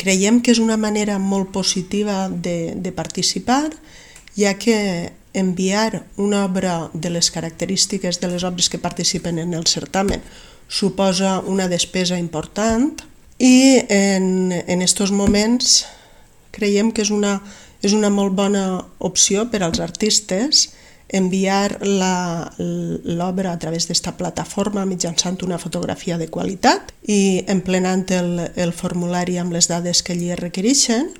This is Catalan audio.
Creiem que és una manera molt positiva de participar, ja que enviar una obra de les característiques de les obres que participen en el certamen suposa una despesa important i en aquests moments creiem que és una molt bona opció per als artistes enviar l'obra a través d'esta plataforma mitjançant una fotografia de qualitat i emplenant el formulari amb les dades que allí es requereixen.